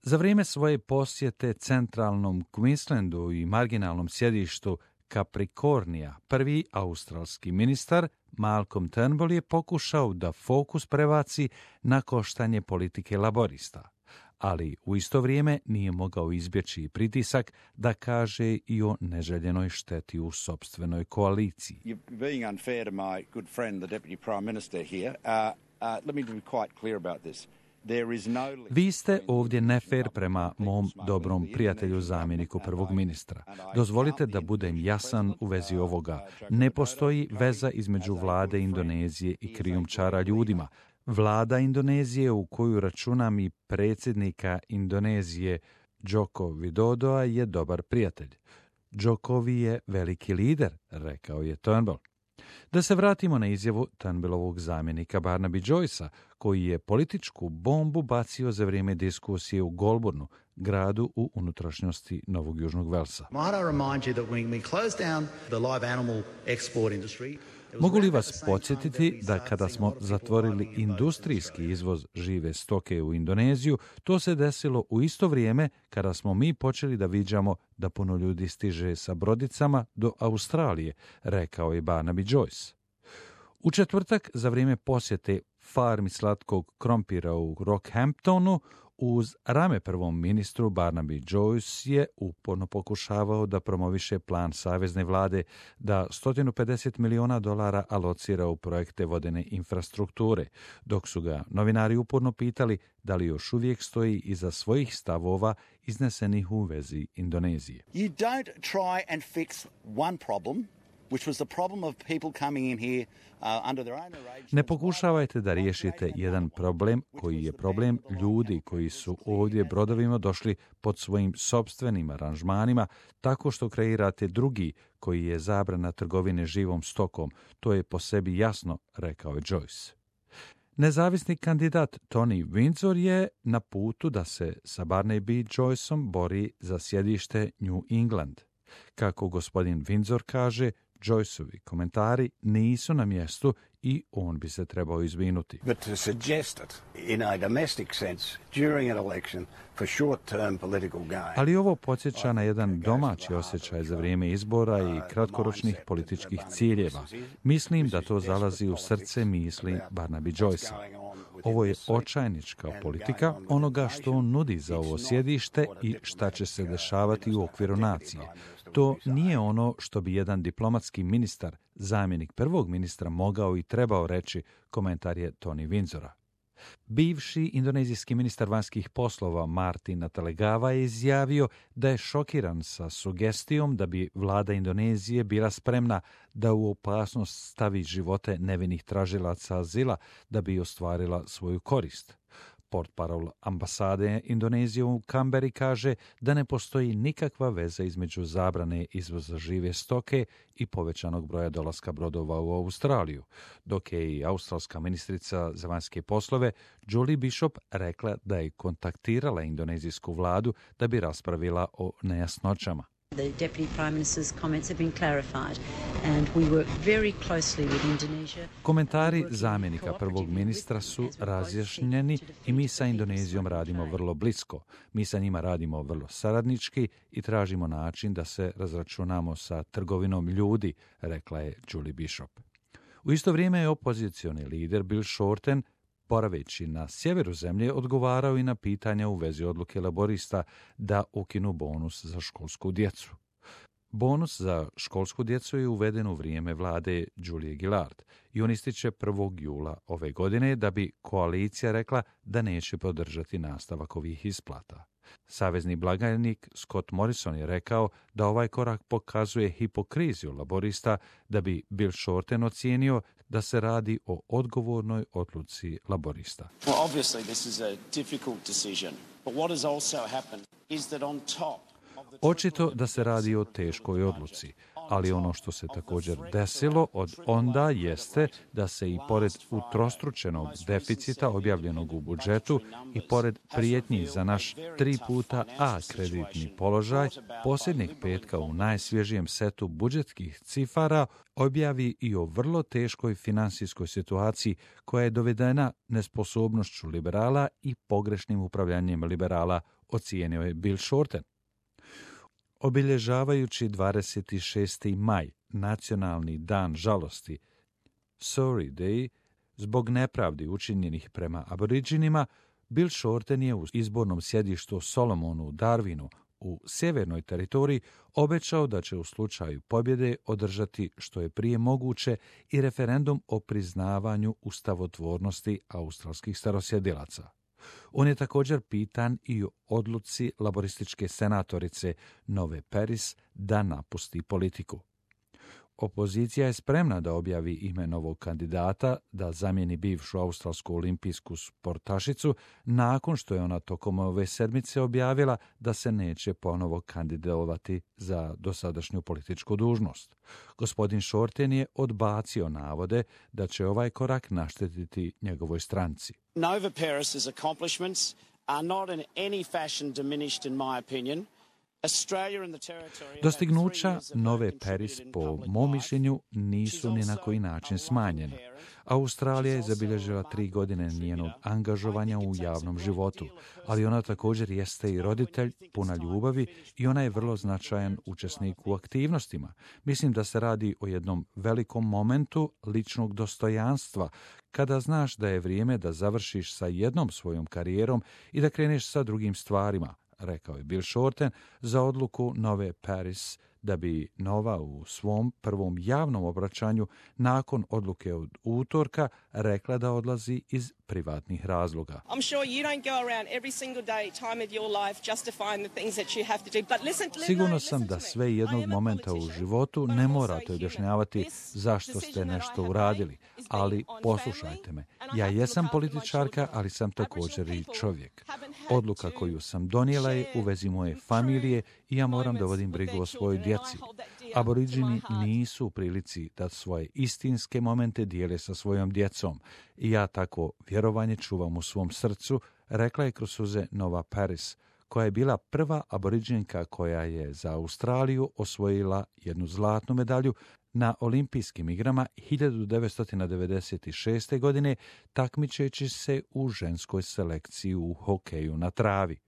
Za vrijeme svoje posjete centralnom Queenslandu i marginalnom sjedištu Capricornia, prvi australski ministar Malcolm Turnbull je pokušao da fokus prebaci na koštanje politike laborista, ali u isto vrijeme nije mogao izbjeći pritisak da kaže i o neželjenoj šteti u sopstvenoj koaliciji. Being unfair to my good friend, the Deputy Prime Minister here, let me be quite clear about this. Vi ste ovdje nefer prema mom dobrom prijatelju zamjeniku prvog ministra. Dozvolite da budem jasan u vezi ovoga. Ne postoji veza između vlade Indonezije i krijumčara ljudima. Vlada Indonezije, u koju računam i predsjednika Indonezije Joko Widodoa, je dobar prijatelj. Jokovi je veliki lider, rekao je Turnbull. Da se vratimo na izjavu Turnbullovog zamjenika Barnaby Joycea, koji je političku bombu bacio za vrijeme diskusije u Goulburnu, gradu u unutrašnjosti Novog Južnog Velsa. Mogu li vas podsjetiti da kada smo zatvorili industrijski izvoz žive stoke u Indoneziju, to se desilo u isto vrijeme kada smo mi počeli da viđamo da puno ljudi stiže sa brodicama do Australije, rekao je Barnaby Joyce. U četvrtak, za vrijeme posjete farmi slatkog krompira u Rockhamptonu, uz rame prvom ministru Barnaby Joyce je uporno pokušavao da promoviše plan savezne vlade da $150 milijuna alocira u projekte vodene infrastrukture, dok su ga novinari uporno pitali da li još uvijek stoji iza svojih stavova iznesenih u vezi Indonezije. You don't try and fix one problem, which was the problem of people coming in here under their own arrangements. Ne pokušavajte da riješite jedan problem koji je problem ljudi koji su ovdje brodovima došli pod svojim sopstvenim aranžmanima, tako što kreirate drugi koji je zabrana trgovine živom stokom. To je po sebi jasno, rekao je Joyce. Nezavisni kandidat Tony Windsor je na putu da se sa Barnaby Joyceom bori za sjedište New England. Kako gospodin Windsor kaže, Joyceovi komentari nisu na mjestu i on bi se trebao izvinuti. But to suggest it in a domestic sense during an election for short-term political gain. Ali ovo podsjeća na jedan domaći osjećaj za vrijeme izbora i kratkoročnih političkih ciljeva. Mislim da to zalazi u srce misli Barnaby Joycea. Ovo je očajnička politika onoga što on nudi za ovo sjedište i šta će se dešavati u okviru nacije. To nije ono što bi jedan diplomatski ministar, zamjenik prvog ministra, mogao i trebao reći, komentar je Tony Windsora. Bivši indonezijski ministar vanjskih poslova Martin Natalegawa je izjavio da je šokiran sa sugestijom da bi vlada Indonezije bila spremna da u opasnost stavi živote nevinih tražilaca azila da bi ostvarila svoju korist. Portparol ambasade Indonezije u Kamberi kaže da ne postoji nikakva veza između zabrane izvoza žive stoke i povećanog broja dolaska brodova u Australiju, dok je i australska ministrica za vanjske poslove Julie Bishop rekla da je kontaktirala indonezijsku vladu da bi raspravila o nejasnoćama. The Deputy Prime Minister's comments have been clarified and we work very closely with Indonesia. Komentari zamjenika prvog ministra su razjašnjeni i mi sa Indonezijom radimo vrlo blisko. Mi sa njima radimo vrlo saradnički i tražimo način da se razračunamo sa trgovinom ljudi, rekla je Julie Bishop. U isto vrijeme je opozicioni lider Bill Shorten, boraveći na sjeveru zemlje, odgovarao i na pitanja u vezi odluke laborista da ukinu bonus za školsku djecu. Bonus za školsku djecu je uveden u vrijeme vlade Julie Gillard i on ističe 1. jula ove godine da bi koalicija rekla da neće podržati nastavak ovih isplata. Savezni blagajnik Scott Morrison je rekao da ovaj korak pokazuje hipokriziju laborista, da bi Bill Shorten ocijenio da se radi o odgovornoj odluci laborista. Well, obviously this is a difficult decision, but what has also happened is that on top. Očito da se radi o teškoj odluci, ali ono što se također desilo od onda jeste da se i pored utrostručenog deficita objavljenog u budžetu i pored prijetnji za naš 3 puta A kreditni položaj, posljednjeg petka u najsvježijem setu budžetskih cifara objavi i o vrlo teškoj finansijskoj situaciji koja je dovedena nesposobnošću liberala i pogrešnim upravljanjem liberala ocijenio je Bill Shorten. Obilježavajući 26. maj, nacionalni dan žalosti, Sorry Day, zbog nepravdi učinjenih prema aboriđinima, Bill Shorten je u izbornom sjedištu Solomonu u Darwinu u sjevernoj teritoriji obećao da će u slučaju pobjede održati što je prije moguće i referendum o priznavanju ustavotvornosti australskih starosjedilaca. On je također pitan i o odluci laborističke senatorice Nove Paris da napusti politiku. Opozicija je spremna da objavi ime novog kandidata da zamijeni bivšu australsku olimpijsku sportašicu nakon što je ona tokom ove sedmice objavila da se neće ponovo kandidovati za dosadašnju političku dužnost. Gospodin Shorten je odbacio navode da će ovaj korak naštetiti njegovoj stranci. Nova Paris's accomplishments are not in any fashion diminished in my opinion. Dostignuća Nove Paris, po mom mišljenju, nisu ni na koji način smanjena. Australija je zabilježila 3 godine njenog angažovanja u javnom životu, ali ona također jeste i roditelj, puna ljubavi i ona je vrlo značajan učesnik u aktivnostima. Mislim da se radi o jednom velikom momentu ličnog dostojanstva, kada znaš da je vrijeme da završiš sa jednom svojom karijerom i da kreneš sa drugim stvarima, rekao je Bill Shorten za odluku Nove Paris da bi Nova u svom prvom javnom obraćanju nakon odluke od utorka rekla da odlazi iz privatnih razloga. Sigurno sam da sve jednog momenta u životu ne morate objašnjavati zašto ste nešto uradili, ali poslušajte me. Ja jesam političarka, ali sam također i čovjek. Odluka koju sam donijela je u vezi moje familije i ja moram da vodim brigu o svojoj djeci. Aboriđini nisu u prilici da svoje istinske momente dijele sa svojom djecom i ja tako vjerovanje čuvam u svom srcu, rekla je kroz suze Nova Paris, koja je bila prva aboriđinka koja je za Australiju osvojila jednu zlatnu medalju na olimpijskim igrama 1996. godine takmičeći se u ženskoj selekciji u hokeju na travi.